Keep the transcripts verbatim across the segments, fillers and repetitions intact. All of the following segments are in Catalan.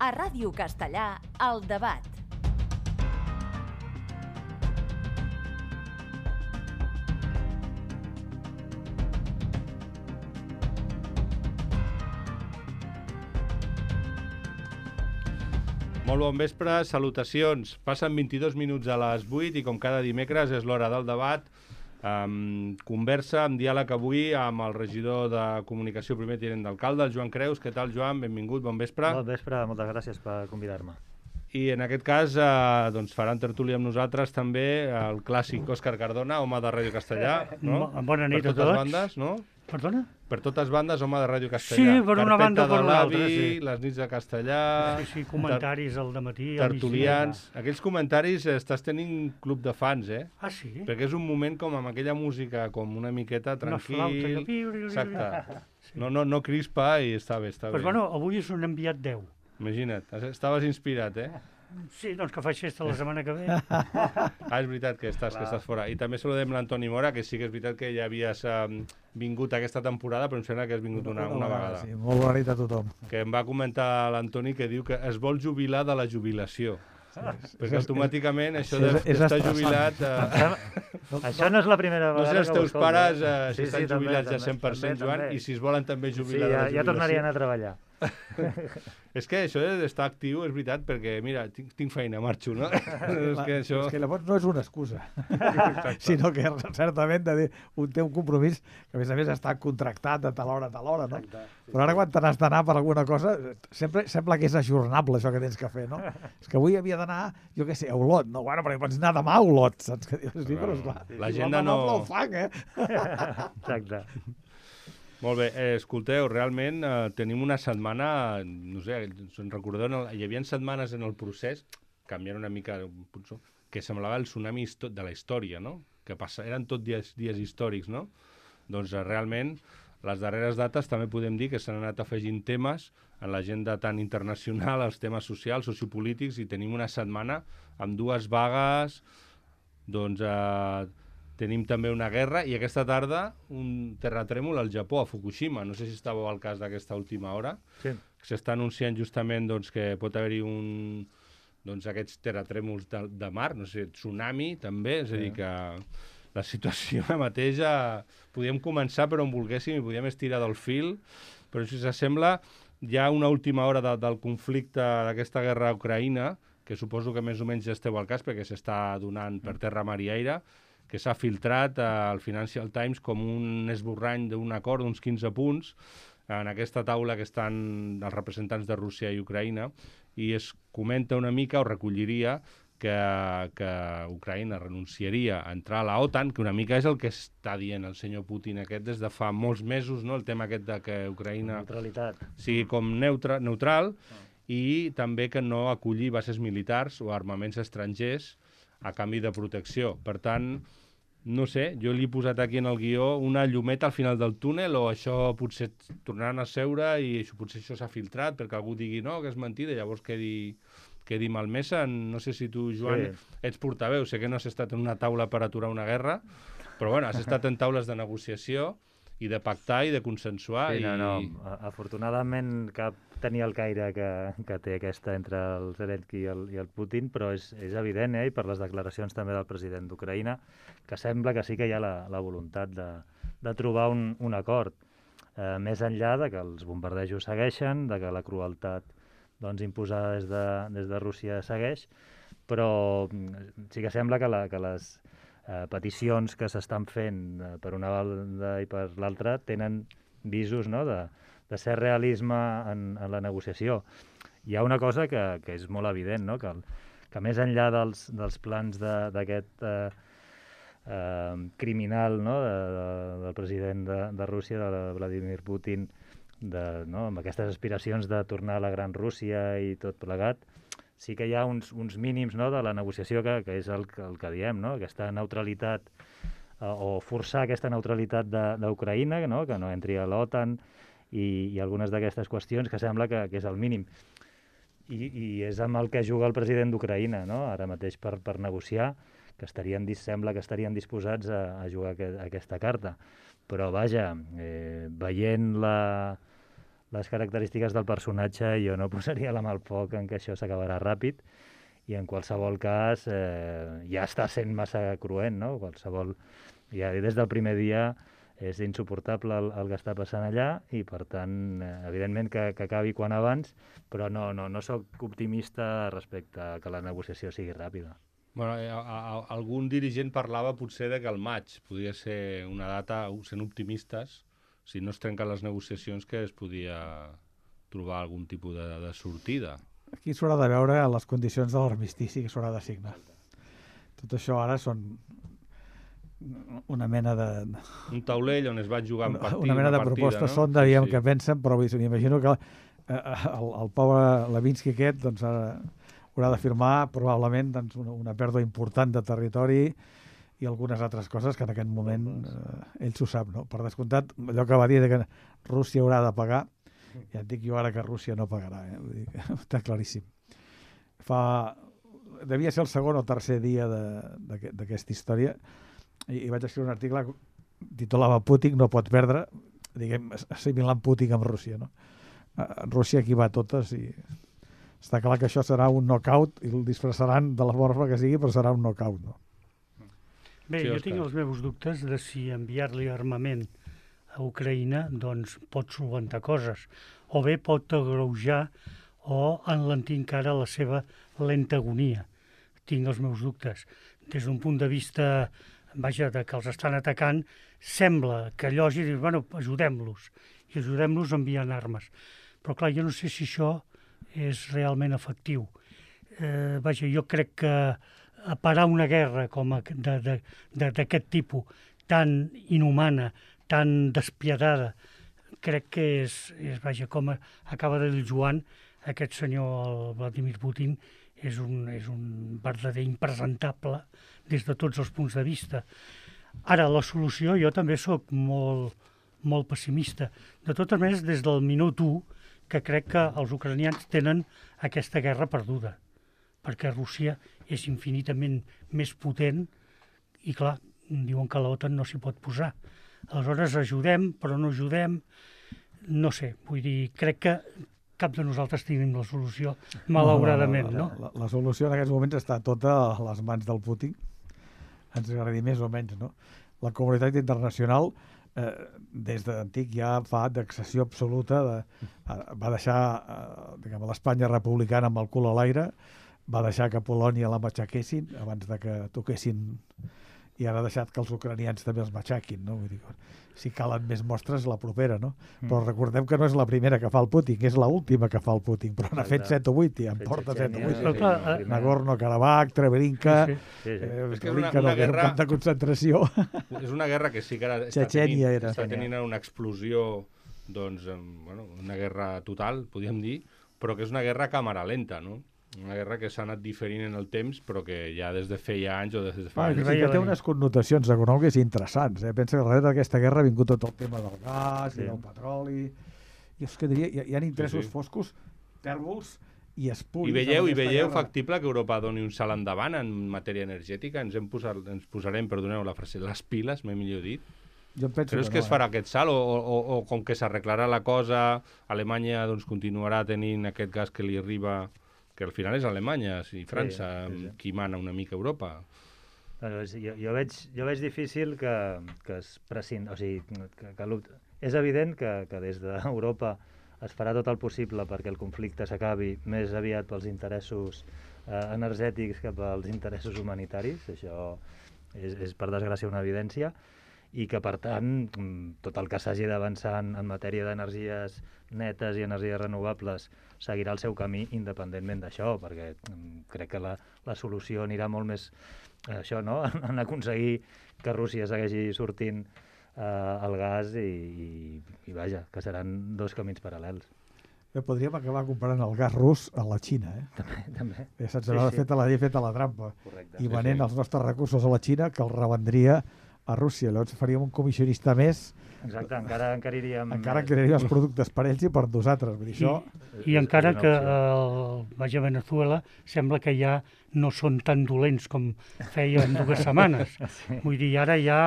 A Ràdio Castellà, El Debat. Molt bon vespre, salutacions. Passen vint-i-dos minuts a les vuit i com cada dimecres és l'hora del debat. Um, conversa amb diàleg avui amb el regidor de Comunicació, primer tinent d'alcalde, el Joan Creus. Què tal, Joan? Benvingut, bon vespre. Bon vespre, moltes gràcies per convidar-me. I en aquest cas eh, doncs faran tertúlia amb nosaltres també el clàssic Òscar Cardona, home de Ràdio Castellà, no? Bona nit per a totes tots. bandes, no? Perdona? Per totes bandes, home de Ràdio Castellà. Sí, per una banda o per una altra, sí. sí. Les nits de castellà... Sí, sí, comentaris al dematí. Tertulians... Aquells comentaris eh, estàs tenint club de fans, eh? Ah, sí? Perquè és un moment com amb aquella música, com una miqueta tranquil... Una flauta que... Exacte. No, no, no crispa i està bé, està pues bé. Bueno, avui és un enviat deu. Imagina't, estaves inspirat, eh? Sí, doncs que faig festa la setmana que ve. Ah, és veritat que estàs, que estàs fora. I també saludem l'Antoni Mora, que sí que és veritat que ja havies um, vingut aquesta temporada, però em sembla que has vingut una, una vegada. Sí, molt bona nit a tothom. Que em va comentar l'Antoni que diu que es vol jubilar de la jubilació. Sí, perquè automàticament això d'estar jubilat... Eh... Això no és la primera vegada. No sé, els teus que pares eh, si sí, estan sí, jubilats també, ja cent per cent, també, Joan, també. i si es volen també jubilar sí, de ja, la jubilació... ja tornarien a treballar. És que això d'estar actiu és veritat, perquè, mira, tinc, tinc feina, marxo, no? és que això... És que llavors no és una excusa, sinó que certament de dir, un té un compromís que, a més a més, està contractat de tal hora a tal hora, no? Exacte, sí, però ara quan te n'has d'anar per alguna cosa, sempre sembla que és ajornable això que tens que fer, no? És que avui havia d'anar, jo què sé, a Olot, no? Bueno, perquè pots anar demà a Olot, saps? Que dius, sí, però esclar, l'agenda no... no el fan, eh? Exacte. Molt bé, eh, escolteu, realment eh, tenim una setmana, no sé, se'n recordeu, no? Hi havia setmanes en el procés, canviant una mica, que semblava el tsunami de la història, no? Que passa, eren tot dies, dies històrics, no? Doncs eh, realment, les darreres dates també podem dir que s'han anat afegint temes en l'agenda tan internacional, els temes socials, sociopolítics, i tenim una setmana amb dues vagues, doncs... Eh, tenim també una guerra i aquesta tarda un terratrèmol al Japó, a Fukushima. No sé si estàveu al cas d'aquesta última hora. Sí. S'està anunciant justament doncs, que pot haver-hi un, doncs, aquests terratrèmols de, de mar, no sé, tsunami també, és a dir, que la situació mateixa podíem començar per on volguéssim i podíem estirar del fil, però si s'assembla hi ha una última hora de, del conflicte d'aquesta guerra a Ucraïna, que suposo que més o menys ja esteu al cas perquè s'està donant per terra, mar i aire, que s'ha filtrat al Financial Times com un esborrany d'un acord d'uns quinze punts en aquesta taula que estan els representants de Rússia i Ucraïna, i es comenta una mica, o recolliria, que, que Ucraïna renunciaria a entrar a la OTAN, que una mica és el que està dient el senyor Putin aquest des de fa molts mesos, no? El tema aquest de que Ucraïna Neutralitat. sigui com neutra, neutral, ah. i també que no acolli bases militars o armaments estrangers a canvi de protecció. Per tant, no sé, jo li he posat aquí en el guió una llumeta al final del túnel, o això potser tornaran a seure i això, potser això s'ha filtrat perquè algú digui no, que és mentida, i llavors quedi, quedi malmesa. No sé si tu, Joan, sí. ets portaveu, sé que no has estat en una taula per aturar una guerra, però bueno, has estat en taules de negociació i de pactar i de consensuar. Sí, no, no, i... afortunadament cap tenia el caire que, que té aquesta entre el Zelensky i el, i el Putin, però és, és evident, eh, i per les declaracions també del president d'Ucraïna, que sembla que sí que hi ha la, la voluntat de, de trobar un, un acord, eh, més enllà de que els bombardejos segueixen, de que la crueltat doncs, imposada des de, des de Rússia segueix, però sí que sembla que, la, que les eh, peticions que s'estan fent eh, per una banda i per l'altra tenen visos, no?, de de ser realisme en, en la negociació. Hi ha una cosa que, que és molt evident, no? que, el, que més enllà dels, dels plans d'aquest eh, eh, criminal, no? de, de, del president de, de Rússia, de Vladimir Putin, de, no? amb aquestes aspiracions de tornar a la gran Rússia i tot plegat, sí que hi ha uns, uns mínims, no? de la negociació que, que és el, el que diem, no? aquesta neutralitat, eh, o forçar aquesta neutralitat d'Ucraïna, no? que no entri a l'OTAN, I, i algunes d'aquestes qüestions que sembla que, que és el mínim. I, i és amb el que juga el president d'Ucraïna, no? ara mateix per, per negociar, que estarien, sembla que estarien disposats a, a jugar a, a aquesta carta. Però vaja, eh, veient la, les característiques del personatge, jo no posaria la mà al foc en que això s'acabarà ràpid, i en qualsevol cas eh, ja està sent massa cruent, no? Qualsevol, ja des del primer dia és insuportable el, el que està passant allà i, per tant, eh, evidentment que, que acabi quan abans, però no, no, no sóc optimista respecte a que la negociació sigui ràpida. Bueno, a, a, algun dirigent parlava potser de que el maig podria ser una data, sent optimistes, si no es trenquen les negociacions, que es podia trobar algun tipus de, de sortida. Aquí s'haurà de veure les condicions de l'armistici que s'haurà de signar. Tot això ara són una mena de... Un taulell on es va jugar en partida, una mena de partida, propostes no? són, dèiem, sí, sí. que pensen, però m'imagino que eh, el, el pobre Levinsky aquest doncs, ara haurà de firmar probablement doncs, una, una pèrdua important de territori i algunes altres coses que en aquest moment eh, ell s'ho sap, no? Per descomptat, allò que va dir de que Rússia haurà de pagar, ja et dic jo ara que Rússia no pagarà, eh? Vull dir que està claríssim. Fa... Devia ser el segon o tercer dia d'aquesta història i, i vaig escriure un article titulava Putin no pot perdre, diguem, assimilant Putin amb Rússia, no? Rússia aquí va a totes i està clar que això serà un knockout i el disfressaran de la forma que sigui, però serà un knockout, no? Bé, Sí, jo Òscar. tinc els meus dubtes de si enviar-li armament a Ucraïna doncs, pot solventar coses, o bé pot agreujar o enlentir encara la seva lenta agonia. Tinc els meus dubtes. Des d'un punt de vista, vaja, de que els estan atacant, sembla que llogi i dius, bueno, ajudem-los, i ajudem-los enviant armes. Però clar, jo no sé si això és realment efectiu. Eh, vaja, jo crec que a parar una guerra com a, de, de, de, d'aquest tipus, tan inhumana, tan despiadada, crec que és, és vaja, com acaba de dir Joan, aquest senyor, el Vladimir Putin, és un, és un verdader impresentable des de tots els punts de vista. Ara, la solució, jo també sóc molt, molt pessimista. De totes maneres, des del minut u, que crec que els ucranians tenen aquesta guerra perduda, perquè Rússia és infinitament més potent i, clar, diuen que l'OTAN no s'hi pot posar. Aleshores, ajudem, però no ajudem. No sé, vull dir, crec que cap de nosaltres tenim la solució, malauradament, no? La, la, la solució en aquests moments està tota a les mans del Putin, ens agradi més o menys, no? La comunitat internacional, eh, des d'antic ja fa d'excessió absoluta, de, eh, va deixar eh, diguem, l'Espanya republicana amb el cul a l'aire, va deixar que Polònia la matxaquessin abans de que toquessin, i ara ha deixat que els ucranians també els matxaquin, no? Vull dir, si calen més mostres, la propera, no? Mm. Però recordem que no és la primera que fa el Putin, és l'última que fa el Putin, però n'ha fet set o vuit, i en porta set o vuit. Però clar, eh, Nagorno-Karabakh, Treblinka, Sí, Sí, sí. eh, És que és una- Treblinka una no, que era un guerra- camp de concentració. És una guerra que sí que ara està Txetxènia tenint, era. està tenint una explosió, doncs, em, bueno, una guerra total, podríem dir, però que és una guerra a càmera lenta, no? Una guerra que s'ha anat diferint en el temps, però que ja des de feia anys o des de fa Ah, anys. sí veia que té venir. unes connotacions econòmiques interessants. Eh? Pensa que darrere d'aquesta guerra ha vingut tot el tema del gas Sí. i del petroli. I és que diria, hi, hi ha interessos Sí, sí. foscos, tèrbols i espuris. I veieu, en i aquesta veieu guerra. factible que Europa doni un salt endavant en matèria energètica? Ens, hem posat, ens posarem, perdoneu la frase, les piles, m'he millor dit. Jo em penso Creus que, que no, es farà aquest salt o, o, o com que s'arreglarà la cosa, Alemanya doncs, continuarà tenint aquest gas que li arriba, que al final és Alemanya i França, sí, sí. qui mana una mica a Europa. Bueno, és- jo, jo, veig, jo veig difícil que, que es prescindeixi, o sigui, que, que l'opt- és evident que, que des d'Europa es farà tot el possible perquè el conflicte s'acabi més aviat pels interessos eh, energètics que pels interessos humanitaris, això és, és per desgràcia una evidència, i que per tant mm, tot el que s'hagi d'avançar en, en matèria d'energies netes i energies renovables seguirà el seu camí independentment d'això, perquè mm, crec que la, la solució anirà molt més eh, això, no? en aconseguir que Rússia segueixi sortint eh, el gas i, i, i vaja, que seran dos camins paral·lels. Bé, podríem acabar comprant el gas rus a la Xina. Eh? També, també. Ja se'ns Sí, haurà sí. fet la llei feta la trampa. Correcte. I Sí, venent sí. els nostres recursos a la Xina, que els revendria a Rússia. Llavors faríem un comissionista més, Exacte, encara, encara iríem... encara més. crearíem els productes per ells i per nosaltres. Vull dir, I, això... i És- encara és una que opció. el, vaja, Venezuela sembla que ja no són tan dolents com feien dues setmanes. Sí. Vull dir, ara ja,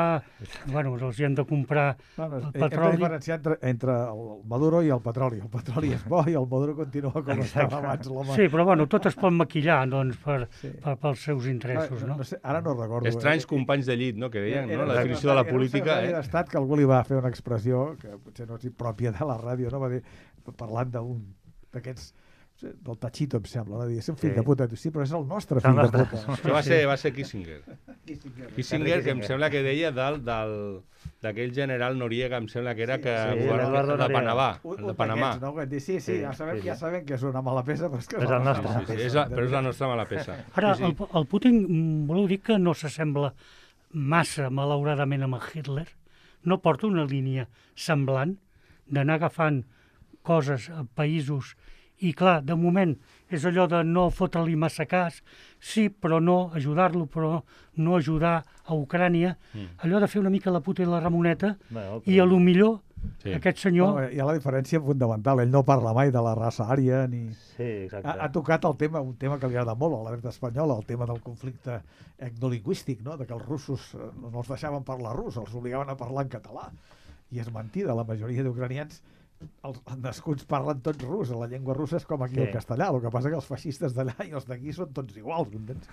bueno, els hi han de comprar no, no, el petroli. petroli. Hem de diferenciar entre, entre el Maduro i el petroli. El petroli és bo i el Maduro continua com estava abans l'home. Sí, però bueno, tot es pot maquillar, doncs, per, sí. per, pels seus interessos, no? no, no sé, ara no recordo. Estranys eh? companys de llit, no?, que deien, era, no?, la definició de la política. Era un d'estat que algú li va fer una expressió que potser no és pròpia de la ràdio, no? Va dir, parlant d'un d'aquests del Tachito, em sembla, va dir, és un fill sí. de puta. Sí, però és el nostre fill de puta. Això va ser, va ser Kissinger. Kissinger, Kissinger que em sembla que deia del, del, d'aquell general Noriega, em sembla que era, sí, que sí, el de Panamà. Un, el de Panamà. No? Sí, sí, sí, ja sabem, ja sabem que és una mala peça, però és que és, és el nostre. Sí, sí, sí, és la, però és la nostra mala peça. Ara, sí, sí. El, el Putin, voleu dir que no s'assembla massa, malauradament, amb el Hitler? No porta una línia semblant d'anar agafant coses a països i, clar, de moment és allò de no fotre-li massa cas, sí, però no ajudar-lo, però no ajudar a Ucrània, mm. allò de fer una mica la puta i la Ramoneta, bueno, però... i a lo millor sí. aquest senyor... No, hi ha la diferència fundamental, ell no parla mai de la raça ària, ni... Sí, exacte. Ha, ha tocat el tema, un tema que li agrada molt a la dreta espanyola, el tema del conflicte etnolingüístic, no? De que els russos no els deixaven parlar rus, els obligaven a parlar en català. I és mentida, la majoria d'ucranians els nascuts parlen tots rus, la llengua russa és com aquí sí. el castellà, el que passa que els feixistes d'allà i els d'aquí són tots iguals, entens?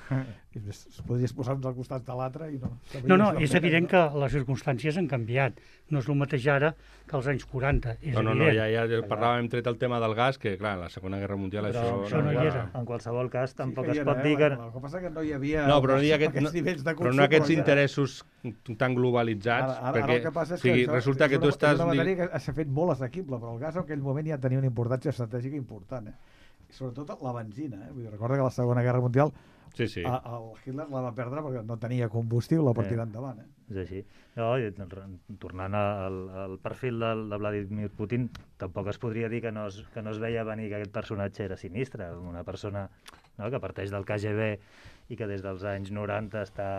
Es podries posar uns al costat de l'altre i no... No, no, és evident que les circumstàncies han canviat. No és el mateix ara que als anys quaranta, és no, no, evident. No, ja, ja parlàvem, hem tret el tema del gas, que clar, la Segona Guerra Mundial però, això... això no hi era. En qualsevol cas, tampoc sí es pot era, dir que... El que passa que no hi havia... No, però no hi ha aquest, no, de però no aquests interessos tan globalitzats, ara, ara, perquè ara el que passa és o sigui, que resulta que una, tu estàs... És una matèria que s'ha fet molt assequible, però el gas en aquell moment ja tenia una importància estratègica important, eh? I sobretot la benzina, eh? Vull dir, recorda que la Segona Guerra Mundial sí, sí. A, el Hitler la va perdre perquè no tenia combustible per eh. tirar endavant, eh? És així. No, tornant al, al perfil del, de Vladimir Putin, tampoc es podria dir que no es, que no es veia venir que aquest personatge era sinistre, una persona, no?, que parteix del K G B i que des dels anys noranta està,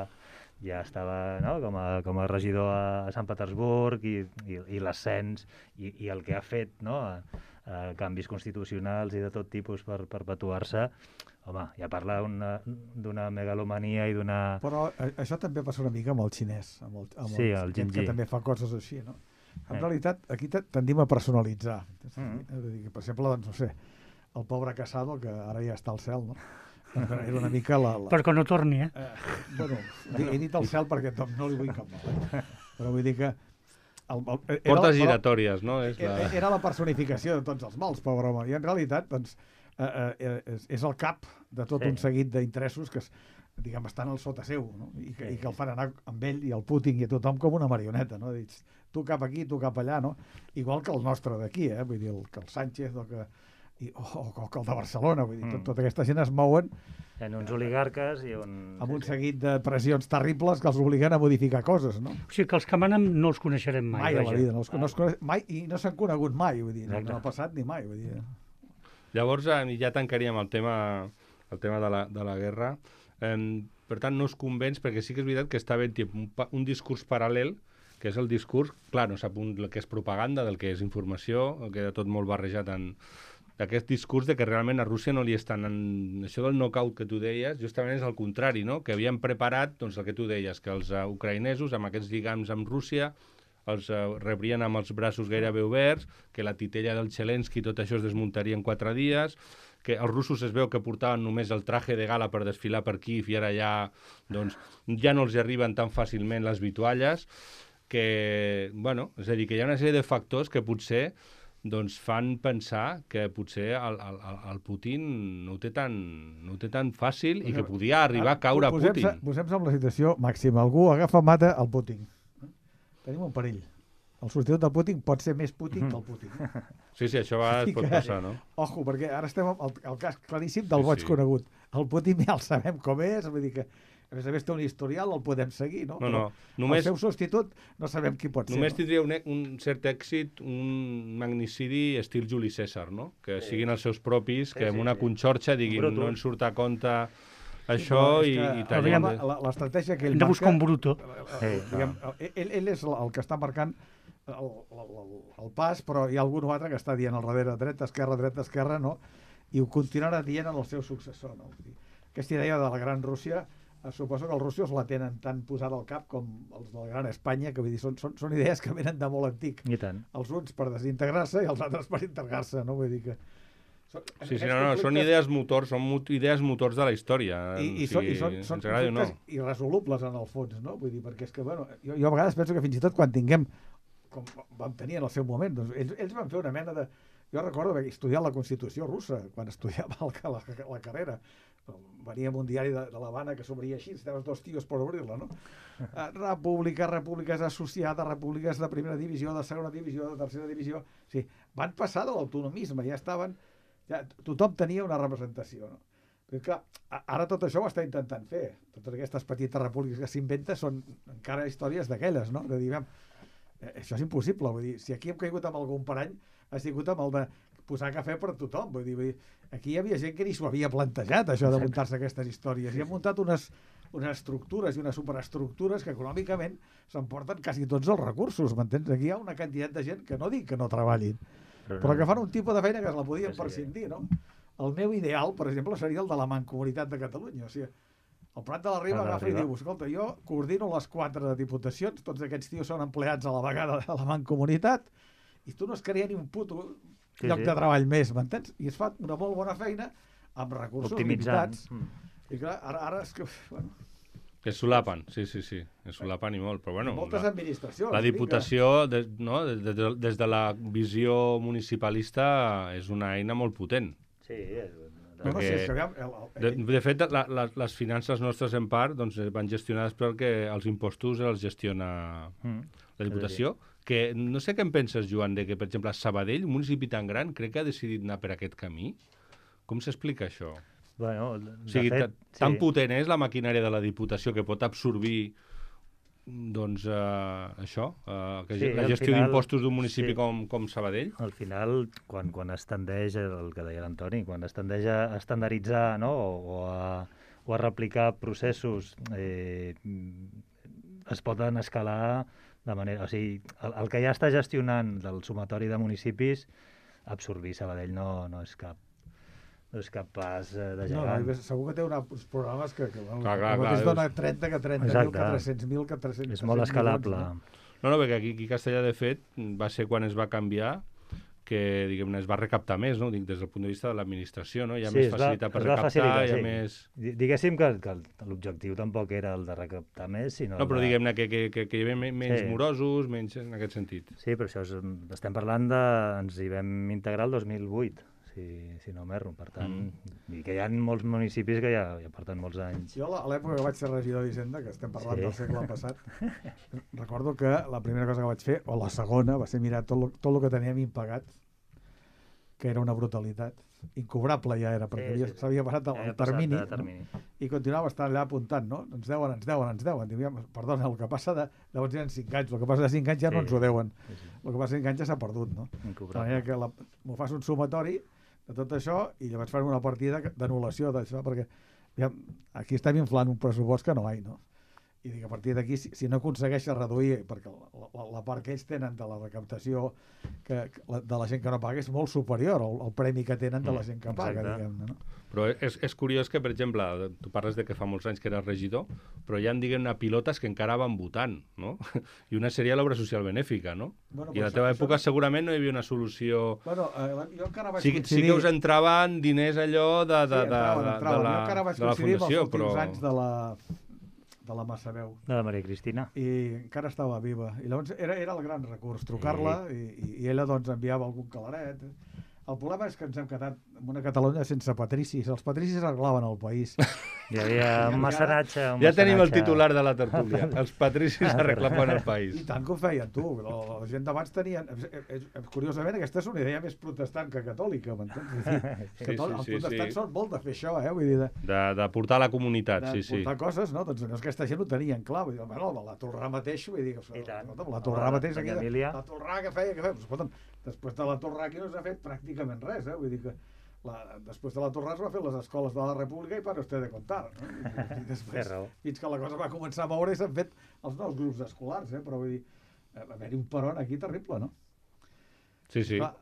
ja estava, no?, com, a, com a regidor a Sant Petersburg i, i, i l'ascens i, i el que ha fet, no?, a, a canvis constitucionals i de tot tipus per perpetuar-se. Home, ja parla d'una megalomania i d'una... Però això també passa una mica amb el xinès, amb el, amb sí, el, el gent que també fa coses així, no? En eh. realitat, aquí tendim a personalitzar. Mm. -hmm. Per exemple, doncs, no sé, el pobre Casado, que ara ja està al cel, no? Era una mica la... la... Perquè no torni, eh? eh bueno, he dit al cel perquè no li vull cap mal, eh? Però vull dir que... El, el, Portes giratòries, no? És la... Era, era la personificació de tots els mals, pobre home. I en realitat, doncs, eh, eh, és, és el cap de tot sí. un seguit d'interessos que, diguem, estan al sota seu, no? I, que, sí. i que el fan anar amb ell i el Putin i a tothom com una marioneta, no? Dius, tu cap aquí, tu cap allà, no? Igual que el nostre d'aquí, eh? Vull dir, el, que el Sánchez o que, i, o, o que el de Barcelona, vull dir, mm. tot, tota aquesta gent es mouen en uns oligarques i un... amb un seguit de pressions terribles que els obliguen a modificar coses, no? O sigui, que els que manen no els coneixerem mai. Mai a la vida, no els, no els coneix, mai, i no s'han conegut mai, vull dir, no, no ha passat ni mai, vull dir. Llavors, ja tancaríem el tema, el tema de, la, de la guerra. Eh, per tant, no es convenç, perquè sí que és veritat que està ben un, un discurs paral·lel, que és el discurs, clar, no sap un, el que és propaganda, del que és informació, el queda tot molt barrejat en d'aquest discurs de que realment a Rússia no li estan... En... Això del knockout que tu deies, justament és el contrari, no? Que havien preparat, doncs el que tu deies, que els uh, ucraïnesos, amb aquests lligams amb Rússia, els uh, rebrien amb els braços gairebé oberts, que la titella del Zelensky, tot això es desmuntaria en quatre dies, que els russos es veu que portaven només el traje de gala per desfilar per Kíev i ara ja, doncs, ja no els arriben tan fàcilment les vitualles, que, bueno, és a dir, que hi ha una sèrie de factors que potser doncs fan pensar que potser el, el, el Putin no ho té tan, no ho té tan fàcil i que podia arribar a caure a Putin. Posem-se en la situació màxima. Algú agafa, mata el Putin. Tenim un perill. El substitut del Putin pot ser més Putin que el Putin. Sí, sí, això va, pot passar, no? Ojo, perquè ara estem al el cas claríssim del boig sí, sí. conegut. El Putin ja el sabem com és, vull dir que a més a més té un historial, el podem seguir, no? No, no. Només, el seu substitut no sabem qui pot només ser. Només tindria un, un cert èxit, un magnicidi estil Juli César, no? Que sí. siguin els seus propis, que sí, amb una sí, conxorxa diguin no ens surt a compte això sí, no, i, i tallem... L'estratègia que ell hem de buscar un bruto. Sí, diguem, ell, ell és el que està marcant el, el, el pas, però hi ha algun altre que està dient al darrere dreta, esquerra, dreta, esquerra, no? I ho continuarà dient al seu successor, no? aquesta idea de la Gran Rússia, eh, suposo que els russos la tenen tan posada al cap com els de la Gran Espanya, que vull dir, són, són, són idees que venen de molt antic. I tant. Els uns per desintegrar-se i els altres per integrar-se, no? Vull dir que... Són, sí, sí, no, no, són idees motors, són mot idees motors de la història. I, i, o sigui, són, i són, són conflictes no. irresolubles en el fons, no? Vull dir, perquè és que, bueno, jo, jo a vegades penso que fins i tot quan tinguem, com vam tenir en el seu moment, doncs ells, ells van fer una mena de... Jo recordo haver estudiat la Constitució russa, quan estudiava la, la, la carrera. Venia amb un diari de, de l'Havana que s'obria així, estaves dos tios per obrir-la, no? República, repúbliques associades, repúbliques de primera divisió, de segona divisió, de tercera divisió... O sigui, van passar de l'autonomisme, ja estaven... Ja, tothom tenia una representació, no? Perquè, clar, ara tot això ho està intentant fer. Totes aquestes petites repúbliques que s'inventen són encara històries d'aquelles, no? De dir, eh, això és impossible, vull dir, si aquí hem caigut amb algun parany, ha sigut amb el de posar cafè per tothom, vull dir, vull dir aquí hi havia gent que ni s'ho havia plantejat, això de muntar-se aquestes històries, i han muntat unes, unes estructures i unes superestructures que econòmicament s'emporten quasi tots els recursos, m'entens? Aquí hi ha una quantitat de gent que no dic que no treballin, però, però que fan un tipus de feina que es la podien prescindir, no? El meu ideal, per exemple, seria el de la Mancomunitat de Catalunya. O sigui, el Prat de la Riba agafa i diu, escolta, jo coordino les quatre diputacions, tots aquests tios són empleats a la vegada de la Mancomunitat, i tu no es crea ni un puto sí, lloc sí. de treball més, m'entens? I es fa una molt bona feina amb recursos optimitzant. limitats. Mm. I clar, ara, ara és que... Bueno, que es solapen, sí, sí, sí, es solapen i molt, però bueno... Moltes la, administracions. La Diputació, des, no, des, de, des de la visió municipalista, és una eina molt potent. Sí, és... No, no, sí, és que aviam, el, el, de, de fet, la, la, les finances nostres, en part, doncs, van gestionades perquè els impostos els gestiona mm. la Diputació, que no sé què en penses, Joan, de que, per exemple, a Sabadell, un municipi tan gran, crec que ha decidit anar per aquest camí. Com s'explica això? Bueno, o sigui, fet, tan sí. potent és la maquinària de la Diputació que pot absorbir doncs uh, això, uh, que sí, la gestió d'impostos d'un municipi sí. com, com Sabadell. Al final, quan, quan es tendeix, el que deia l'Antoni, quan es tendeix a estandarditzar, no? o, o, a, o a replicar processos, eh, es poden escalar de manera... O sigui, el, el que ja està gestionant del sumatori de municipis, absorbir Sabadell no, no és cap no és capaç de gegant. No, segur que té una, uns programes que, que bueno, clar, clar, mateix clar, dona trenta, que trenta mil, que tres-cents mil, que tres-cents mil. És molt escalable. Milions, no? no, no, perquè aquí, aquí a Castellà, de fet, va ser quan es va canviar que, diguem-ne, es va recaptar més, no? Dic, des del punt de vista de l'administració, no? Hi ha sí, més facilitat va, per recaptar, facilitar, hi ha sí. més... Diguéssim que, que l'objectiu tampoc era el de recaptar més, sinó... No, però de... diguem-ne que, que, que, que hi havia menys sí. morosos, menys en aquest sentit. Sí, però això és, estem parlant de... Ens hi vam integrar el dos mil vuit, si, si no m'erro, per tant, mm. i que hi ha molts municipis que ja, ja porten molts anys. Jo a l'època que vaig ser regidor d'Hisenda, que estem parlant sí. del segle passat, recordo que la primera cosa que vaig fer, o la segona, va ser mirar tot lo, tot lo que teníem impagat, que era una brutalitat. Incobrable ja era, perquè sí, sí, s'havia passat el, el termini, passat termini. No? I continuava estant allà apuntant, no? Ens deuen, ens deuen, ens deuen. Diu, perdona, el que passa de... Llavors eren cinc anys, el que passa de cinc anys ja sí. no ens ho deuen. Sí, sí. El que passa de cinc anys ja s'ha perdut, no? De manera que la, m'ho fas un sumatori de tot això i llavors fan una partida d'anul·lació d'això, perquè ja, aquí estem inflant un pressupost que no hi ha, no? I dic, a partir d'aquí, si, si no aconsegueixes reduir, perquè la, la, la part que ells tenen de la recaptació que, que la, de la gent que no paga és molt superior al, al premi que tenen de la gent que paga, Exacte. diguem-ne, no? Però és, és curiós que, per exemple, tu parles de que fa molts anys que eres regidor, però hi ha, diguem-ne, pilotes que encara van votant, no? I una seria l'obra social benèfica, no? Bueno, I a la teva això, època això... segurament no hi havia una solució... Bueno, eh, jo encara vaig sí, coincidir... Sí que us entraven diners allò de, de, sí, entraven, de, entraven. de, la, jo encara vaig de la fundació, fundació, però... però... anys de la, de la Massaveu. De la Maria Cristina. I encara estava viva. I llavors era, era el gran recurs, trucar-la sí. i, i ella doncs enviava algun calaret. El problema és que ens hem quedat en una Catalunya sense patricis. Els patricis arreglaven el país. Hi havia un mecenatge... Un ja mecenatge... tenim el titular de la tertúlia. Els patricis arreglaven el país. I tant que ho feien, tu. La, la gent d'abans tenien... Curiosament, aquesta és una idea més protestant que catòlica, m'entens? Sí, sí, sí, els protestants sí. són molt de fer això, eh? Vull dir, de, de, de portar la comunitat, de sí, sí. De portar coses, no? Doncs no, aquesta gent ho tenien clar. Vull dir, bueno, la Tolrà mateix, vull dir... I tant. La Tolrà mateix... Aquí, la Tolrà que feia, que feia... Escolta'm, després de la Tolrà aquí no s'ha fet pràcticament res, eh? Vull dir que la, després de la Torrà es va fer les escoles de la República i para usted de contar, no? I, i després, fins que la cosa va començar a moure i s'han fet els nous grups escolars, eh? Però vull dir, va haver-hi un peron aquí terrible, no? Sí, sí. Clar,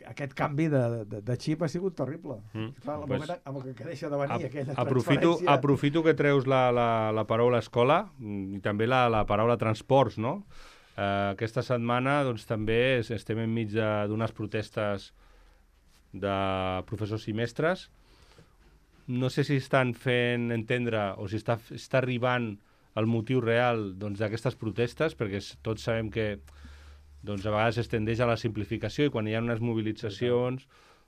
aquest canvi de, de, de xip ha sigut terrible. Mm. Clar, el Pues, moment amb el que deixa de venir a, aquella aprofito, transferència... aprofito que treus la, la, la paraula escola i també la, la paraula transports, no? Uh, aquesta setmana doncs, també estem enmig d'unes protestes de professors i mestres. No sé si estan fent entendre o si està, està arribant el motiu real doncs, d'aquestes protestes, perquè tots sabem que doncs, a vegades es tendeix a la simplificació i quan hi ha unes mobilitzacions,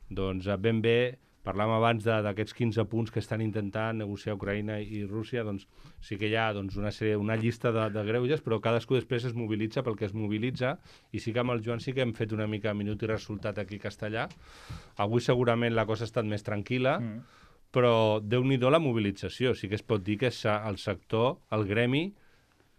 doncs ben bé, parlàvem abans d'aquests quinze punts que estan intentant negociar Ucraïna i Rússia, doncs sí que hi ha doncs, una, sèrie, una llista de, de greuges, però cadascú després es mobilitza pel que es mobilitza, i sí que amb el Joan sí que hem fet una mica minut i resultat aquí a Castellà. Avui segurament la cosa ha estat més tranquil·la, mm. però déu-n'hi-do la mobilització. Sí que es pot dir que el sector, el gremi,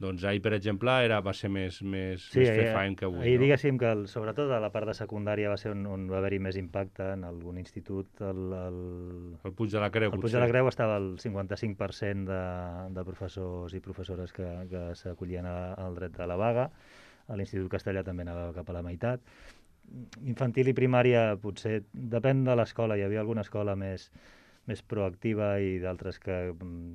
doncs ahir, per exemple, era, va ser més, més, sí, més fer faen que avui. Ahir, no? diguéssim que, el, sobretot a la part de secundària, va ser on, on va haver-hi més impacte en algun institut. El, el, el Puig de la Creu, El Puig potser. de la Creu estava al cinquanta-cinc per cent de, de professors i professores que, que s'acollien al dret de la vaga. A l'Institut Castellà també anava cap a la meitat. Infantil i primària, potser, depèn de l'escola. Hi havia alguna escola més... més proactiva i d'altres que,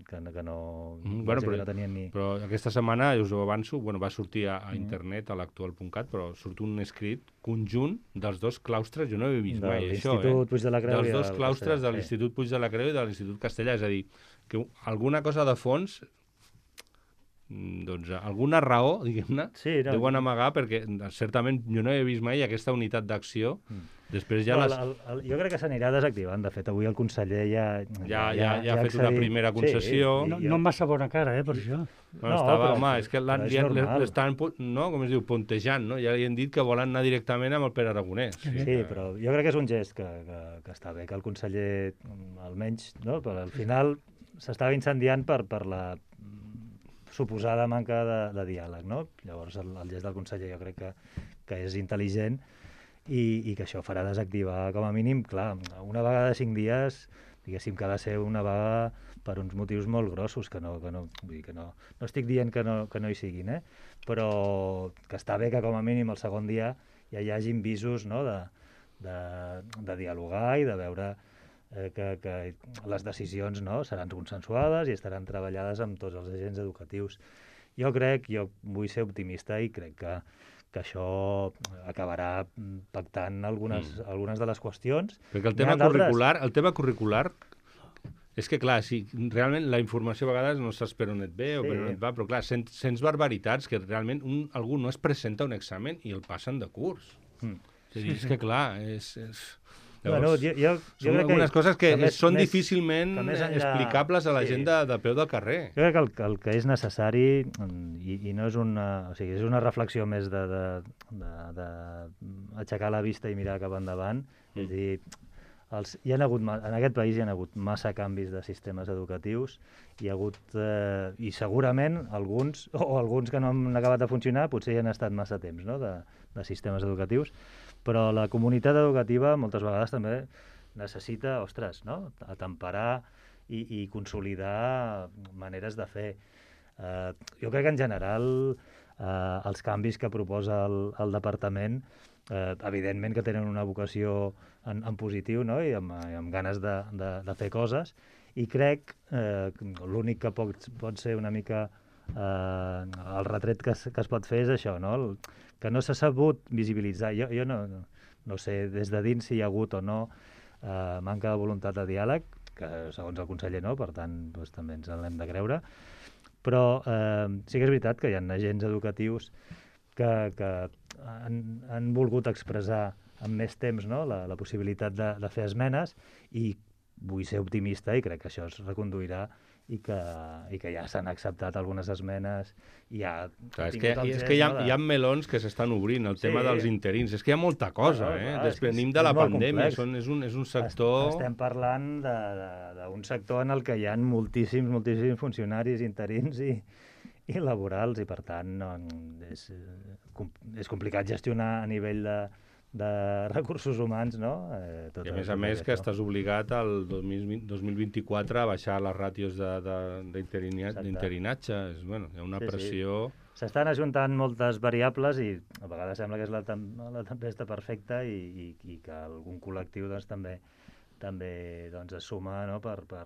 que, que, no, mm, bueno, però, que no tenien ni... Però aquesta setmana, us ho avanço, bueno, va sortir a, a internet, a l'actual punt cat, però surt un escrit conjunt dels dos claustres, jo no he vist de mai això, eh? Puig de la Creu dels i dos claustres Castellà, de l'Institut Puig de la Creu i de l'Institut Castellà, és a dir, que alguna cosa de fons, doncs alguna raó, diguem-ne, sí, no, deuen amagar, perquè certament jo no he vist mai aquesta unitat d'acció. Mm. Després ja no, les... el, el, jo crec que s'anirà desactivant. De fet, avui el conseller ja... Ja, ja, ja, ja ha fet una primera concessió. Sí, no, no amb massa bona cara, eh, per això. Bueno, no, estava, home, és que l'estan, no, com es diu, puntejant, no? Ja li han dit que volen anar directament amb el Pere Aragonès. Sí, sí, però jo crec que és un gest que, que, que està bé, que el conseller, almenys, no? Però al final s'estava incendiant per, per la suposada manca de, de diàleg, no? Llavors el, el gest del conseller jo crec que, que és intel·ligent i, i que això farà desactivar com a mínim, clar, una vaga de cinc dies, diguéssim que ha de ser una vaga per uns motius molt grossos, que no, que no, vull dir que no, no estic dient que no, que no hi siguin, eh? Però que està bé que com a mínim el segon dia ja hi hagin visos, no? de, de, de dialogar i de veure eh, que, que les decisions, no? Seran consensuades i estaran treballades amb tots els agents educatius. Jo crec, jo vull ser optimista i crec que, que això acabarà pactant algunes, mm. algunes de les qüestions. Perquè el tema curricular, el tema curricular és que, clar, sí, realment la informació a vegades no saps per on et ve o sí. per on et va, però, clar, sents, sents barbaritats que realment un, algú no es presenta un examen i el passen de curs. Mm. És a dir, és que, clar, és... és... Llavors, bueno, jo, jo, jo són algunes que, coses que, que més, són més, difícilment que enllà, explicables a la sí. gent de, de peu del carrer. Jo crec que el, el que és necessari, i, i no és una... O sigui, és una reflexió més de, de, de, de aixecar la vista i mirar cap endavant. Mm. És a dir, els, hi ha hagut, en aquest país hi ha hagut massa canvis de sistemes educatius, hi ha hagut, eh, i segurament alguns, o alguns que no han acabat de funcionar, potser hi han estat massa temps, no?, de, de sistemes educatius, però la comunitat educativa moltes vegades també necessita, ostres, no?, atemperar i, i consolidar maneres de fer. Eh, jo crec que en general eh, els canvis que proposa el, el departament, eh, evidentment que tenen una vocació en, en positiu, no?, i amb, i amb ganes de, de, de fer coses, i crec eh, l'únic que pot, pot ser una mica eh, el retret que es, que es pot fer és això, no?, el, que no s'ha sabut visibilitzar. Jo, jo no, no sé des de dins si hi ha hagut o no eh, manca de voluntat de diàleg, que segons el conseller no, per tant doncs, també ens l'hem de creure, però eh, sí que és veritat que hi ha agents educatius que, que han, han volgut expressar amb més temps, no?, la, la possibilitat de, de fer esmenes, i vull ser optimista i crec que això es reconduirà i que, i que ja s'han acceptat algunes esmenes i ja... Clar, és que, és que hi, ha, de... hi ha melons que s'estan obrint, el sí. tema dels interins, és que hi ha molta cosa, no, no, eh? Clar, venim de la pandèmia, són, és, un, és un sector... Estem parlant d'un sector en el que hi ha moltíssims, moltíssims funcionaris interins i, i laborals, i per tant no, és, és complicat gestionar a nivell de... de recursos humans, no? Eh, tot I a més a més que estàs obligat al dos mil vint-i-quatre a baixar les ràtios d'interinatge. És, bueno, hi ha una sí, pressió... Sí. s'estan ajuntant moltes variables i a vegades sembla que és la, tem la tempesta perfecta i, i, i que algun col·lectiu doncs, també també doncs, es suma, no?, per, per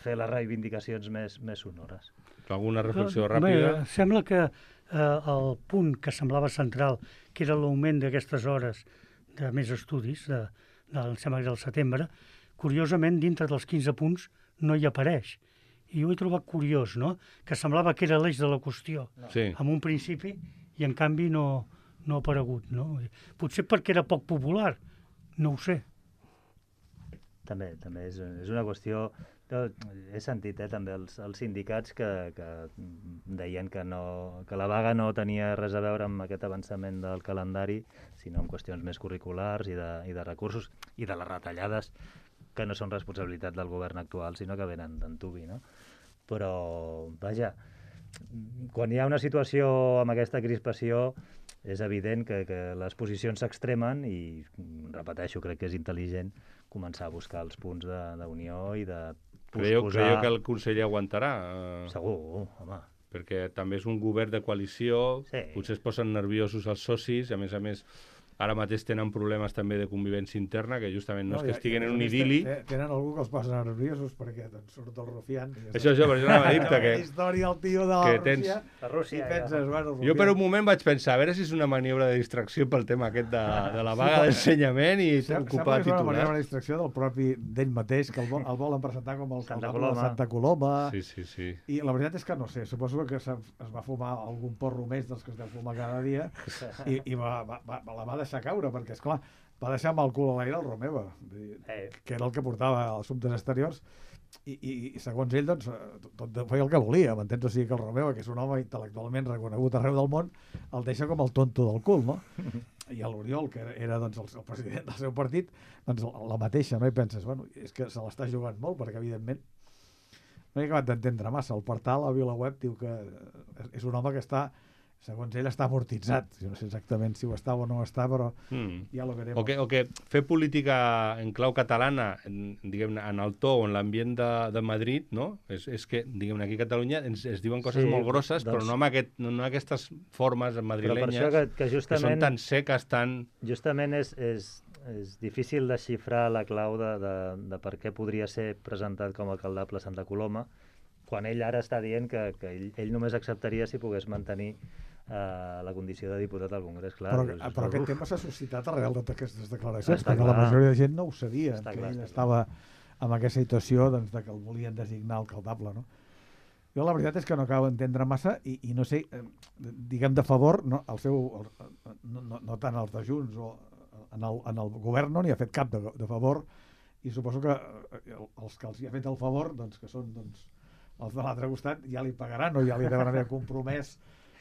fer les reivindicacions més, més sonores. Alguna reflexió Home, ràpida? Sembla que eh, el punt que semblava central, que era l'augment d'aquestes hores de més estudis, de, de, em sembla que del setembre, curiosament, dintre dels quinze punts no hi apareix. I ho he trobat curiós, no?, que semblava que era l'eix de la qüestió, Sí. en un principi, i en canvi no, no ha aparegut, no? Potser perquè era poc popular, no ho sé. També, també és, és una qüestió... He sentit eh, també els, els sindicats que, que deien que, no, que la vaga no tenia res a veure amb aquest avançament del calendari, sinó amb qüestions més curriculars i de, i de recursos i de les retallades que no són responsabilitat del govern actual, sinó que venen d'antubi, no? Però, vaja, quan hi ha una situació amb aquesta crispació, és evident que, que les posicions s'extremen i, repeteixo, crec que és intel·ligent començar a buscar els punts d'unió i de Creieu, posposar... creieu que el conseller aguantarà? Eh, Segur, home. Perquè també és un govern de coalició, Sí. potser es posen nerviosos els socis, i a més a més ara mateix tenen problemes també de convivència interna, que justament no, no és que estiguin en un idili. Tenen algú que els posa nerviosos perquè doncs, surt el rufián. Això, això, per això anava a dir-te que... La història del tio de la que Rússia, tens- La Rússia, i penses, ja. bueno, Jo per un moment vaig pensar, a veure si és una maniobra de distracció pel tema aquest de, de la vaga d'ensenyament i Sembla ocupar que és una manera titular. de distracció del propi d'ell mateix, que el, vol, el volen presentar com el Santa alcalde de Coloma. Santa Coloma. Sí, sí, sí. I la veritat és que no sé, suposo que es va fumar algun porro més dels que es deu fumar cada dia i, i va, va, va, la va deixar caure, perquè, esclar, va deixar amb el cul a l'aire el Romeva, Eh. que era el que portava els assumptes exteriors, i, i, i segons ell, doncs, tot feia el que volia, m'entens? O sigui que el Romeva, que és un home intel·lectualment reconegut arreu del món, el deixa com el tonto del cul, no? I l'Oriol, que era doncs, el, el president del seu partit, doncs la mateixa, no? I penses, bueno, és que se l'està jugant molt, perquè evidentment no he acabat d'entendre massa. El portal, a VilaWeb, diu que és un home que està, segons ell, està amortitzat. Jo no sé exactament si ho està o no ho està, però Mm. ja lo verem. O que, o que fer política en clau catalana, en, diguem-ne, en el to o en l'ambient de, de Madrid, no? És, és que, diguem-ne, aquí a Catalunya ens, es diuen coses Sí, molt grosses, doncs- però no amb, aquest, no, no aquestes formes Però per madrilenyes això que, que que són justament, tan seques, tan... justament és, és, és difícil desxifrar la clau de, de, de per què podria ser presentat com a alcaldable Santa Coloma, quan ell ara està dient que, que ell, ell només acceptaria si pogués mantenir eh, la condició de diputat al Congrés. Clar, Però, doncs, però aquest uf, tema s'ha suscitat arrel d'aquestes declaracions, Està perquè clar. la majoria de gent no ho sabia, Està que clar, ell està estava amb aquesta situació doncs, de que el volien designar alcaldable, no? Jo la veritat és que no acabo d'entendre massa i, i no sé, eh, diguem de favor, no, el seu, el, no, no, no tant els de Junts o en el, en el govern no n'hi ha fet cap de, de favor i suposo que eh, els que els hi ha fet el favor, doncs, que són doncs, els de l'altre costat, ja li pagaran o ja li deuen haver compromès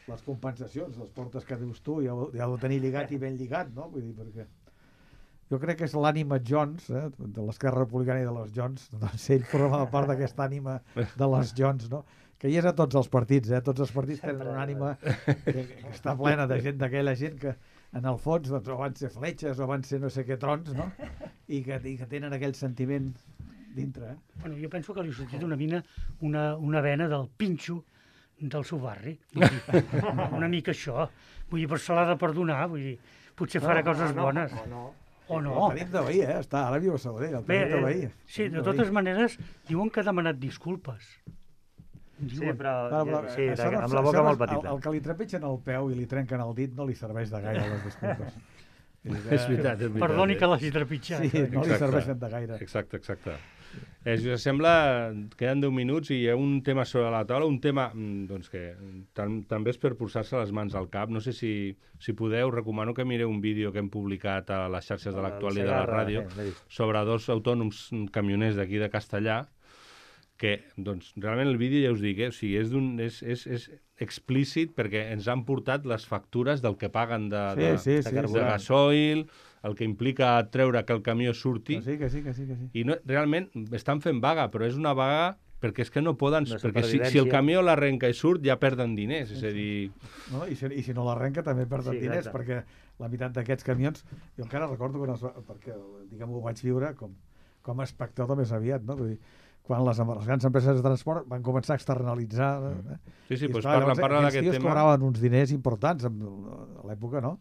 les compensacions, les portes que dius tu, ja ho, ja ho tenir lligat i ben lligat, no? Vull dir, perquè jo crec que és l'ànima Jones, eh, de l'Esquerra Republicana i de les Jones, doncs ell forma part d'aquesta ànima de les Jones, no? Que hi és a tots els partits, eh? Tots els partits tenen una ànima que, que està plena de gent, d'aquella gent que en el fons doncs, o van ser fletxes o van ser no sé què trons, no? I que, i que tenen aquell sentiment dintre, eh? Bueno, jo penso que li ha sortit una mina, una, una vena del pinxo del seu barri. Vull dir, una mica això. Vull dir, però se l'ha de perdonar, vull dir, potser farà No, coses no, bones. o no. O no. El tenim de veí, eh? Està, ara viu a Sabadell, el Bé, tenim de veí. eh, sí, de totes maneres, diuen que ha demanat disculpes. sí, Diuen. però, Però, però, sí, això no- amb la boca això no- molt petita. El, el que li trepitgen el peu i li trenquen el dit no li serveix de gaire les disculpes. Vull dir que- És veritat, és veritat. Perdoni eh? que l'hagi trepitjat. Sí, no li Exacte. serveixen de gaire. Exacte, exacte. Eh, si us sembla, queden deu minuts i hi ha un tema sobre la taula, un tema mm, doncs que tam també és per posar-se les mans al cap. No sé si, si podeu, recomano que mireu un vídeo que hem publicat a les xarxes de l'Actual i de la Segarra, ràdio eh, l'he vist. sobre dos autònoms camioners d'aquí de Castellà, que doncs, realment el vídeo ja us dic, eh? O sigui, és, un, és, és, és explícit perquè ens han portat les factures del que paguen de, Sí, de, sí, sí. de de sí. gasoil, el que implica treure que el camió surti. Que sí, que sí, que sí, que sí. I no, realment estan fent vaga, però és una vaga perquè és que no poden... De perquè si, si el supervivència. camió l'arrenca i surt ja perden diners, és a dir... No? I, si, I si no l'arrenca també perden Sí, diners, exacte. perquè la meitat d'aquests camions, jo encara recordo quan es va, perquè diguem ho vaig viure com, com a espectador més aviat, no? Vull dir, quan les, les grans empreses de transport van començar a externalitzar. Eh? Sí, sí, I, doncs esclar, parla, llavors, parla aquests d'aquest tios tema. cobraven uns diners importants en, a l'època, no?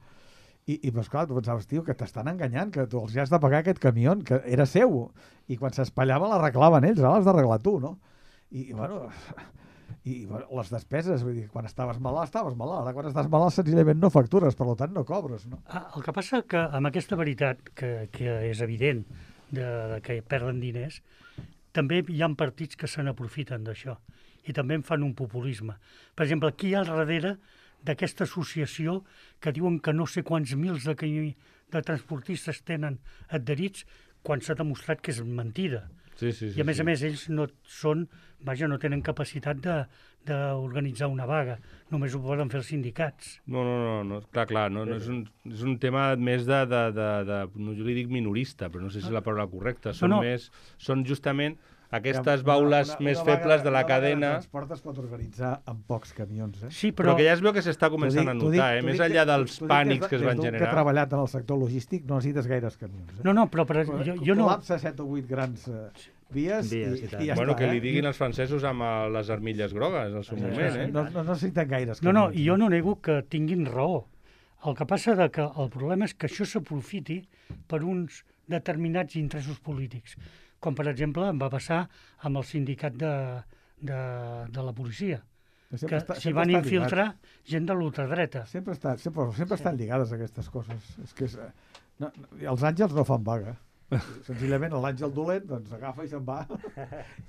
I, i doncs, clar, tu pensaves, tio, que t'estan enganyant, que tu els has de pagar aquest camió, que era seu, i quan s'espallava l'arreglaven ells, ara l'has d'arreglar tu, no? I, bueno, i bueno, les despeses, vull dir, quan estaves malalt, estaves malalt, ara quan estàs malalt senzillament no factures, per tant no cobres, no? Ah, el que passa que amb aquesta veritat, que, que és evident, de, de que perden diners, també hi ha partits que se n'aprofiten d'això i també en fan un populisme. Per exemple, qui hi ha al darrere d'aquesta associació que diuen que no sé quants mils de, de transportistes tenen adherits quan s'ha demostrat que és mentida. Sí, sí, sí, I a més sí. a més ells no són, vaja, no tenen capacitat d'organitzar una vaga, només ho poden fer els sindicats. No, no, no, no, clar, clar, no, no és, un, és un tema més de, de, de, de, no, jo li dic minorista, però no sé si és la paraula correcta, són No, no. més, són justament aquestes Una- baules una- més una vaga- febles de la una vaga cadena, de transport es pot organitzar amb pocs camions, eh? Sí, però, però, que ja es veu que s'està començant a T'ho dic- notar, eh? t'ho més dic enllà que- dels t'ho dic pànics des de- que es van des d'un generar. que he treballat en el sector logístic no necessites gaires camions. Eh? no, no, però per, jo, jo no... Col·lapsa set o vuit grans eh, vies, Vies i, i tant. i ja Bueno, està. que li eh? diguin els francesos amb eh, les armilles grogues al seu moment, eh? No, no, no necessiten gaires No, camions. no, i jo no nego que tinguin raó. El que passa de que el problema és que això s'aprofiti per uns determinats interessos polítics, com per exemple em va passar amb el sindicat de, de, de la policia, Sempre que està- s'hi sempre van està infiltrar gent de l'ultradreta. Sempre, està, sempre, sempre estan lligades aquestes coses. És que és, eh, no, no, els àngels no fan vaga. Senzillament l'àngel dolent doncs, agafa i se'n va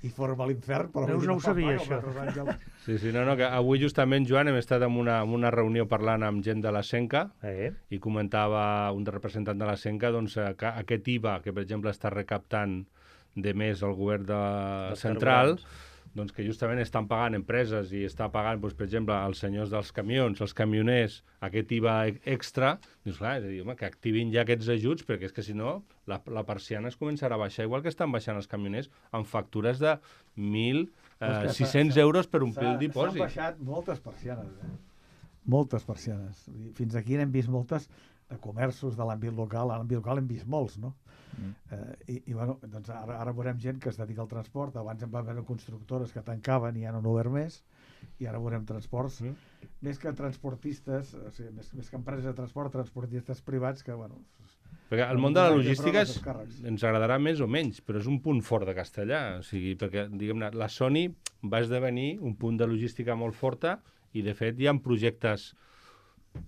i forma l'infern. Però Veus, vull dir, no ho fan sabia, vaga, això. els altres àngels. Sí, sí, no, no, que avui justament, Joan, hem estat en una, en una reunió parlant amb gent de la Senca Eh? i comentava un representant de la Senca doncs, eh, que aquest I V A, que per exemple està recaptant de més el govern de Dels central, carburants. doncs que justament estan pagant empreses i està pagant, doncs, per exemple, els senyors dels camions, els camioners, aquest I V A e- extra, doncs clar, és a dir, home, que activin ja aquests ajuts, perquè és que si no, la, la persiana es començarà a baixar, igual que estan baixant els camioners, amb factures de mil sis cents S'ha- euros per omplir el s'ha- dipòsit. S'han baixat moltes persianes. Eh? Moltes persianes. Vull dir, fins aquí n'hem vist moltes de comerços de l'àmbit local. A l'àmbit local hem vist molts, no? Mm. Eh, i, i bueno, doncs ara, ara veurem gent que es dedica al transport. Abans en va haver constructores que tancaven i ja no han obert més, i ara veurem transports Mm. més que transportistes, o sigui, més, més que empreses de transport, transportistes privats que, bueno... Perquè el no món de la podran fer logística front als és, càrrecs. ens agradarà més o menys, però és un punt fort de castellà. O sigui, perquè, diguem-ne, la Sony va esdevenir un punt de logística molt forta i, de fet, hi ha projectes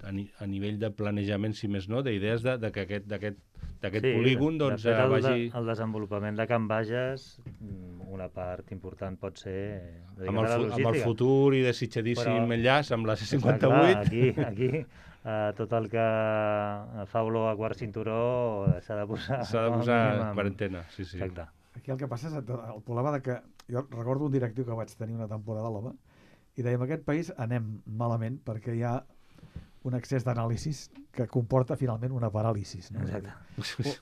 a, ni, a nivell de planejament, si més no, d'idees de, de que aquest, d'aquest, d'aquest Sí, polígon de- doncs, de fet, el, vagi... de, el desenvolupament de Can Bages, mm, una part important pot ser eh, Amb el, dedicada a la fu- amb el logística. futur i desitjadíssim Però- enllaç amb la C Clar, cinquanta-vuit. aquí, aquí eh, tot el que fa olor a quart cinturó s'ha de posar... S'ha de com a posar mínim amb- quarantena, sí, sí. Exacte. Aquí el que passa és el problema de que... Jo recordo un directiu que vaig tenir una temporada a l'O M A i deia, en aquest país anem malament perquè hi ha un excés d'anàlisis que comporta finalment una paràlisis. No? Exacte.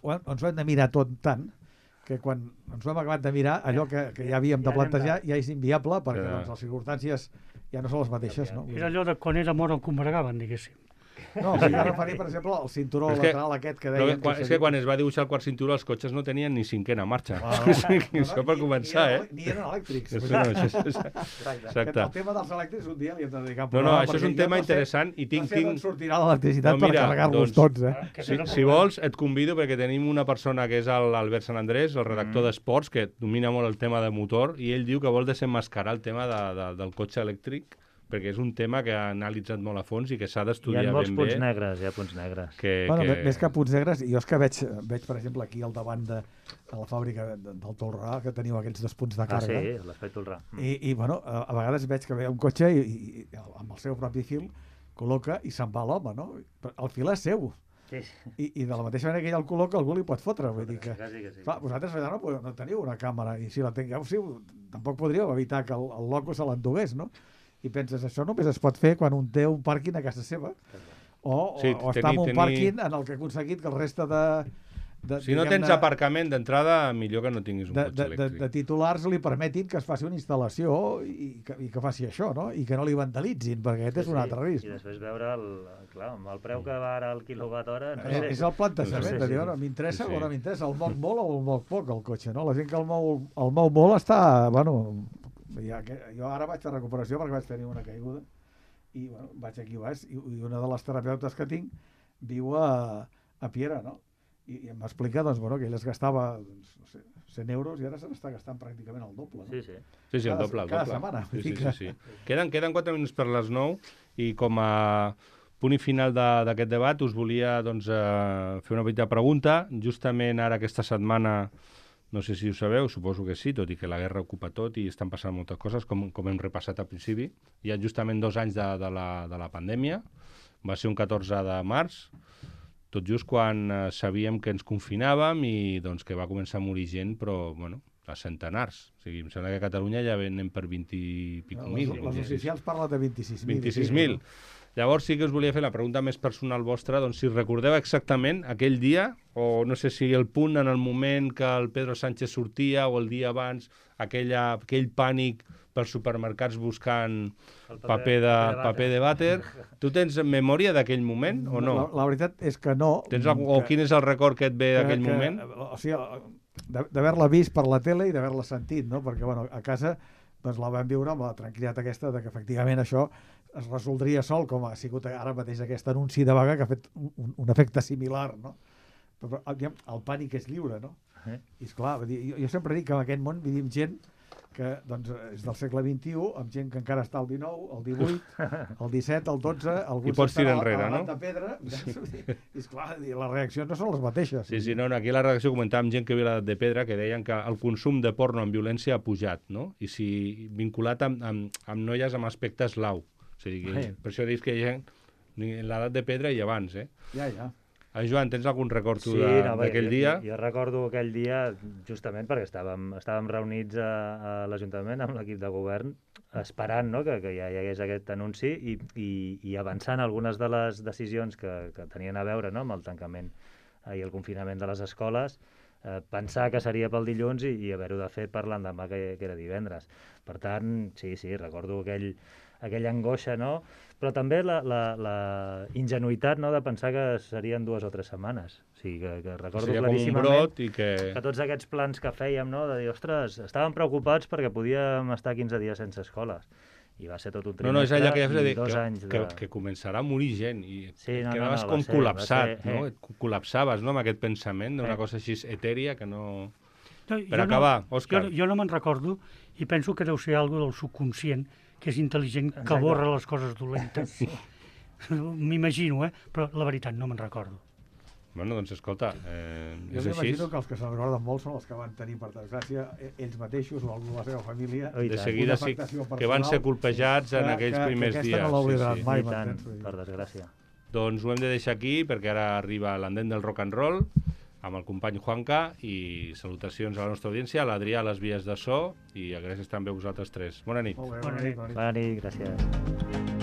O, o, ens ho hem de mirar tot tant que quan ens ho hem acabat de mirar, allò que, que ja havíem de Ja anem plantejar ja és inviable perquè Ja. doncs, les circumstàncies ja no són les mateixes. No? Era allò de quan era mort el combregaven, diguéssim. No, o sigui, ara referir, per exemple, al cinturó Però és que- lateral aquest que Però deien... que, quan, és que quan es va dibuixar el quart cinturó els cotxes no tenien ni cinquena marxa. Ah, O sigui, això per començar, ni, eh? Ni eren elèctrics. Això, no, això, és- és- Exacte. exacte. El tema dels elèctrics un dia li hem de dedicar un No, no, programa, això és perquè un jo tema no sé- interessant i tinc... no sé d'on tinc... sortirà l'electricitat No, per mira, carregar-los doncs- tots, eh? Que Si, era si problema. vols, et convido perquè tenim una persona que és el- l'Albert Sant Andrés, el redactor Mm. d'esports, que domina molt el tema de motor, i ell diu que vol desenmascarar el tema de, de, del cotxe elèctric, perquè és un tema que ha analitzat molt a fons i que s'ha Hi ha d'estudiar molts ben punts bé. negres, hi ha punts negres. Que, Bueno, que... que... més que punts negres, jo és que veig, veig per exemple, aquí al davant de, de la fàbrica de- del Tolrà, que teniu aquests dos punts de Ah, càrrega. sí, l'espai Tolrà. Mm. I, I, bueno, a, a vegades veig que ve un cotxe i, i, i amb el seu propi fil col·loca i se'n va l'home, no? Però el fil és seu. Sí, I, I de la mateixa manera que ell el col·loca, algú li pot fotre. Vull dir que... quasi que sí. Clar, vosaltres allà no, podeu- no teniu una càmera, i si la tingueu, sí, tampoc podríeu evitar que el, el loco se l'endugués, no? I penses, això només es pot fer quan un té un pàrquing a casa seva, o, Sí, o, o tenir- està en un tenir- pàrquing en el que ha aconseguit que el reste de, de, si no tens de, aparcament d'entrada, millor que no tinguis un de, cotxe de, de, elèctric. de titulars li permetin que es faci una instal·lació i que, i que faci això, no? I que no li vandalitzin, perquè aquest Sí, és un sí. altre risc. I després veure, el, clar, amb el preu que va ara el quilowatt hora... No Eh, sé. és el plantejament No sé, de dir, sí. bueno, m'interessa Sí, sí. o no m'interessa, el moc molt o el moc poc, el cotxe, no? La gent que el mou, el mou molt està, bueno, ja que, jo ara vaig a recuperació perquè vaig tenir una caiguda i bueno, vaig aquí baix i, i una de les terapeutes que tinc viu a, a Piera, no? I, i m'explica, doncs, bueno, que ell es gastava, doncs, no sé, cent euros i ara se n'està gastant pràcticament el doble, no? Sí, sí. Sí, sí, el cada- doble, el cada doble. setmana, Sí, vull sí, dir sí, que- sí. Queden, queden quatre minuts per les nou i com a punt i final de- d'aquest debat us volia doncs, eh, fer una petita pregunta. Justament ara aquesta setmana, no sé si ho sabeu, suposo que sí, tot i que la guerra ocupa tot i estan passant moltes coses, com, com hem repassat al principi. Hi ha justament dos anys de, de, la, de la pandèmia. Va ser un catorze de març, tot just quan eh, sabíem que ens confinàvem i doncs, que va començar a morir gent, però bueno, a centenars. O sigui, em sembla que a Catalunya ja anem per vint i pico les, mil. les oficials parlen de vint-i-sis mil. vint-i-sis mil. Llavors sí que us volia fer la pregunta més personal vostra, doncs si recordeu exactament aquell dia, o no sé si el punt en el moment que el Pedro Sánchez sortia o el dia abans, aquella, aquell pànic pels supermercats buscant El paper de, paper de vàter. Tu tens memòria d'aquell moment o no? La, la veritat és que no. Tens algú, o quin és el record que et ve d'aquell que, moment? O sigui, de- d'haver-la vist per la tele i d'haver-la sentit, no? Perquè, bueno, a casa doncs la vam viure amb la tranquil·litat aquesta de que efectivament això es resoldria sol, com ha sigut ara mateix aquest anunci de vaga que ha fet un, un efecte similar, no? Però, aviam, el pànic és lliure, no? Eh? I esclar, vull dir, jo, jo sempre dic que en aquest món vivim gent que doncs, és del segle vint-i-u, amb gent que encara està al dinou, al divuit, al disset, al dotze, algú I pots tirar enrere, a no? de pedra, i esclar, les reaccions no són les mateixes. Sí, sí, no, no, aquí a la redacció comentàvem gent que viu a l'edat de pedra que deien que el consum de porno amb violència ha pujat, no? I si vinculat amb, amb, amb noies amb aspecte eslau. O sigui, que, per això dius que hi ha gent en l'edat de pedra i abans, eh? Ja, ja. Ah, Joan, tens algun record tu Sí, de- no, bé, d'aquell jo, dia? Jo, jo recordo aquell dia justament perquè estàvem, estàvem reunits a, a l'Ajuntament amb l'equip de govern esperant, no?, que, que ja hi hagués aquest anunci i, i, i avançant algunes de les decisions que, que tenien a veure, no?, amb el tancament i el confinament de les escoles, eh, pensar que seria pel dilluns i, i haver-ho de fer per l'endemà, que, que era divendres. Per tant, sí, sí, recordo aquell, aquella angoixa, no?, però també la, la, la ingenuïtat, no?, de pensar que serien dues o tres setmanes. O sigui, que, que recordo Seria com un claríssimament brot i que... que tots aquests plans que fèiem, no?, de dir, ostres, estàvem preocupats perquè podíem estar quinze dies sense escoles. I va ser tot un No, no, és allò que ja has de i dir, dos que, anys de... que, que començarà a morir gent i Sí, no, no, quedaves no, va com ser- va col·lapsat, ser- no? eh. Et col·lapsaves, no?, amb aquest pensament d'una Eh. cosa així etèria que no... No, Per jo acabar, no, Òscar. Jo, jo no me'n recordo i penso que deu ser alguna del subconscient, que és intel·ligent, que Exacte. borra les coses dolentes. M'imagino, eh? Però la veritat no me'n recordo. Bueno, doncs escolta, eh, Jo és així. m'imagino que els que se'n recorden molt són els que van tenir, per desgràcia, e- ells mateixos o algú de la seva família. Oh, i De tant. seguida una sí afectació que van ser personal colpejats en que- aquells que- primers que aquesta dies. no l'oblidaran sí, sí. mai. I tant, m'entens? Vull dir. per desgràcia. Doncs ho hem de deixar aquí perquè ara arriba l'endent del rock and roll amb el company Juanca i salutacions a la nostra audiència, a l'Adrià a les vies de so i gràcies també a vosaltres tres. Bona nit. Molt bé, Bona bona nit. nit. Bona nit. Bona nit, gràcies.